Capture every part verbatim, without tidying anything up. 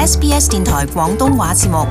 S B S 電台廣東話節目。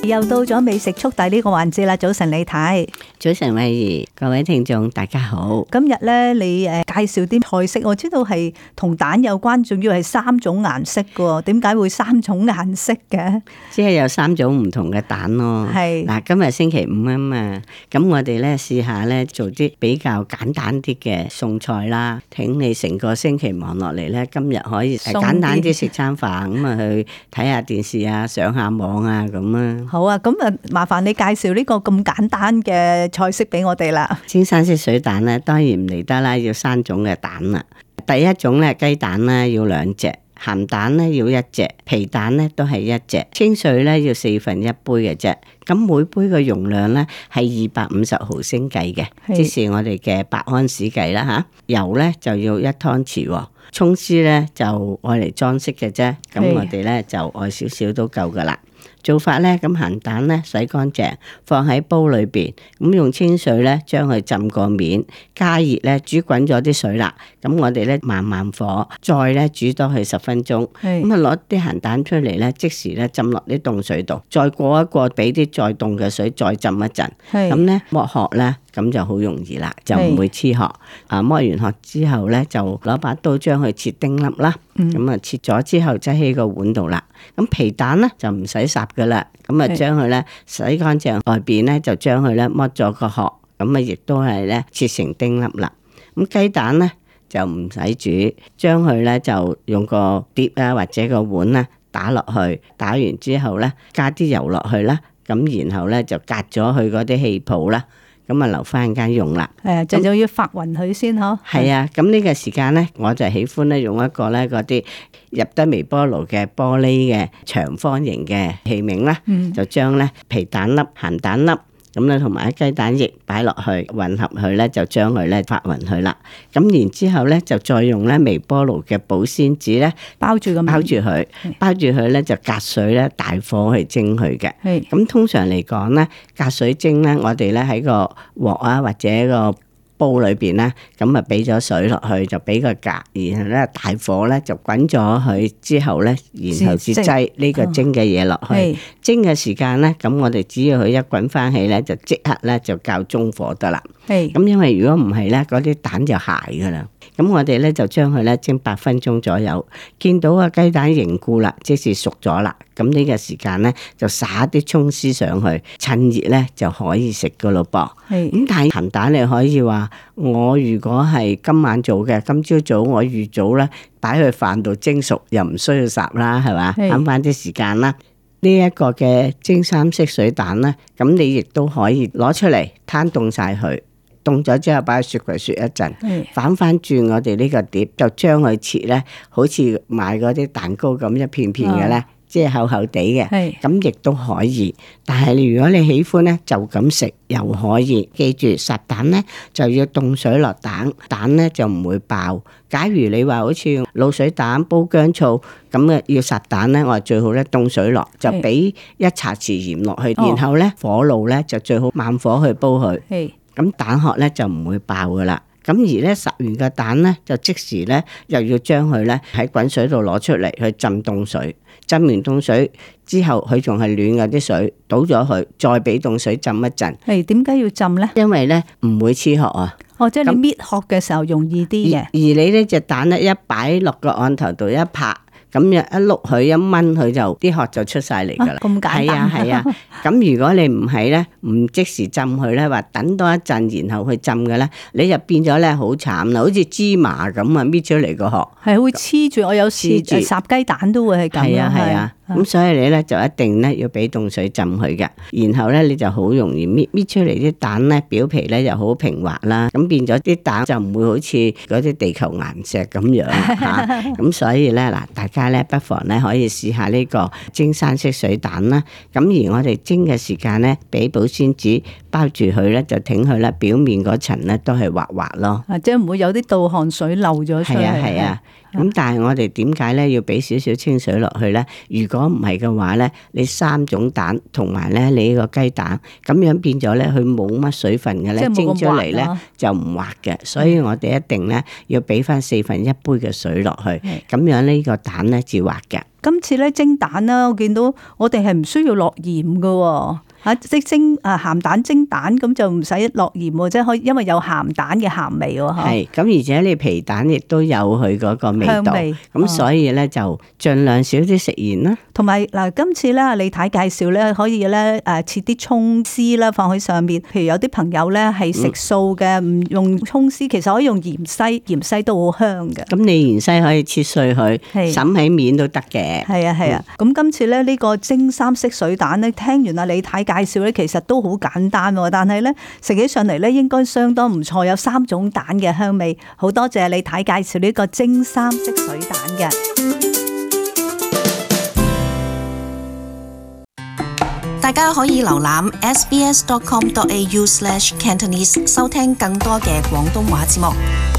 又到咗美食速遞呢個環節啦！早晨李太，早晨慧怡，各位聽眾大家好。今日咧你誒介紹啲菜式，我知道係同蛋有關，仲要係三種顏色嘅，點解會三種顏色嘅？即係有三種唔同嘅蛋咯。係嗱，今日星期五啊嘛，咁我哋咧試下咧做啲比較簡單啲嘅餸菜啦。挺你成個星期忙落嚟咧，今日可以簡單啲食餐飯，咁啊去睇下電視啊，上下網啊咁啊。好啊，咁啊麻煩你介紹呢個咁簡單嘅菜式俾我哋啦。煎生式水蛋咧，當然唔嚟得啦，要三種嘅蛋啦。第一種咧，雞蛋咧要兩隻，鹹蛋咧要一隻，皮蛋咧都係一隻，清水咧要四分一杯嘅啫。咁每杯嘅容量咧係二百五十毫升計嘅，即是我哋嘅百安士計啦吓。油咧就要一湯匙，蔥絲咧就愛嚟裝飾嘅啫。咁我哋咧就愛少少都夠噶啦。做法咧，咁鹹蛋咧洗乾淨，放喺煲裏邊，咁用清水咧將佢浸個面，加熱咧煮滾咗啲水啦。咁我哋咧慢慢火，再咧煮多佢十分鐘。咁啊攞啲鹹蛋出嚟咧，即時咧浸落啲凍水度，再過一過，俾啲再凍嘅水再浸一陣。咁咧剝殼咧，咁就好容易啦，就唔會黐殼。啊，剝完殼之後咧，就攞把刀將佢切丁粒啦。咁啊、嗯、切咗之後，擠喺個碗度啦。咁皮蛋咧就唔使烚噶啦，咁啊將佢咧洗乾淨，外邊咧就將佢咧剝咗個殼，咁啊亦都係咧切成丁粒啦。咁雞蛋咧就唔使煮，將佢咧就用個碟啊或者個碗咧打落去，打完之後咧加啲油落去啦，咁然後咧就隔咗佢嗰啲氣泡啦。咁啊留翻間用啦，誒，就就要發勻佢先嗬。係啊，咁呢個時間咧，我就喜歡咧用一個咧嗰啲入得微波爐嘅玻璃嘅長方形嘅器皿啦，嗯、就將咧皮蛋粒、鹹蛋粒。咁咧，同埋啲雞蛋液擺落去混合佢咧，就將佢咧發勻佢啦。咁然之後咧，就再用咧微波爐嘅保鮮紙咧包住咁，包住佢，包住佢咧就隔水咧大火去蒸佢嘅。咁是通常嚟講咧，隔水蒸咧，我哋咧喺個鑊啊或者個煲裏邊咧，咁啊俾咗水落去，就俾個格，然後咧大火咧就滾咗佢之後咧，然後至擠呢個蒸嘅嘢落去。哦、蒸嘅時間咧，咁我哋只要佢一滾翻起咧，就即刻咧就較中火得啦。咁是因為如果唔係咧，嗰啲蛋就鞋噶啦。咁我哋咧就將佢咧蒸八分鐘左右，見到個雞蛋凝固啦，即是熟咗啦。咁呢個時間咧就撒啲蔥絲上去，趁熱咧就可以食噶咯噃。咁是但係鹹蛋你可以話，我如果係今晚做嘅，今朝早我預早咧擺去飯度蒸熟，又唔需要烚啦，係嘛，慳翻啲時間啦。呢一個嘅蒸三色水蛋咧，咁你亦都可以攞出嚟攤凍晒佢。凍咗之後擺喺雪櫃雪一陣，是反翻轉我哋呢個碟，就將佢切咧，好似買嗰啲蛋糕咁一片片嘅咧，哦、即係厚厚地嘅，咁亦都可以。但係如果你喜歡咧，就咁食又可以。記住烚蛋咧就要凍水落蛋，蛋咧就唔會爆。假如你話好似用滷水蛋煲薑醋咁嘅要烚蛋咧，我最好咧凍水落，就俾一茶匙鹽落去，是然後咧火爐咧就最好慢火去煲佢。咁蛋殼咧就唔會爆噶啦，咁而咧烚完個蛋咧就即時咧又要將佢咧喺滾水度攞出嚟去浸凍水，浸完凍水之後佢仲係暖嘅啲水，倒咗佢，再俾凍水浸一陣。係點解要浸咧？因為咧唔會黐殼啊。哦，即係你搣殼嘅時候容易啲嘅。而你呢隻蛋咧一擺落個案頭度一拍。咁樣一碌佢一掹佢就啲殼就出晒嚟噶啦，咁、啊、簡單。係啊係啊，咁、啊、如果你唔係咧，唔即時浸佢咧，話等多一陣然後去浸嘅咧，你就變咗咧好慘啦，好似芝麻咁啊搣出嚟個殼，係會黐住。我有時烚雞蛋都會係咁。係啊係啊，咁、啊、所以你咧就一定咧要俾凍水浸佢嘅，然後咧你就好容易搣搣出嚟啲蛋咧表皮咧又好平滑啦，咁變咗啲蛋就唔會好似嗰啲地球岩石咁樣吓，咁、啊、所以咧嗱大家。不妨咧可以試下呢個蒸生式水蛋啦，咁而我哋蒸嘅時間咧，俾保鮮紙包住佢咧，就挺佢咧，表面嗰層咧都係滑滑咯。啊，即係唔會有啲倒汗水漏咗出嚟。係啊係啊。咁但係我哋點解咧要俾少少清水落去咧？如果唔係嘅話咧，你三種蛋同埋咧你呢個雞蛋咁樣變咗咧，佢冇乜水分嘅咧，蒸出嚟咧就唔滑嘅。所以我哋一定咧要俾翻四分一杯嘅水落去，咁樣呢個蛋咧至滑嘅。今次咧蒸蛋啦，我見到我哋係唔需要落鹽㗎。嚇，即蒸啊鹹蛋蒸蛋咁就唔使落鹽喎，即係可以，因為有鹹蛋嘅鹹味喎。係，咁而且你皮蛋亦都有佢嗰個味道，咁所以咧就盡量少啲食鹽啦。同埋嗱，今次咧李太介紹咧，可以咧誒切啲葱絲啦放喺上面。譬如有啲朋友咧係食素嘅，唔用葱絲，其實可以用芫茜，芫茜都好香嘅。咁你芫茜可以切碎佢，揼喺面都得嘅。係啊係啊，咁、嗯、今次咧呢個蒸三色水蛋咧，聽完阿李太介紹咧，其實都好簡單喎，但係咧食起上嚟咧應該相當唔錯，有三種蛋嘅香味。好多謝李太介紹呢個蒸三色水蛋嘅。大家可以瀏覽 s b s dot com dot a u slash cantonese 收聽更多嘅廣東話節目。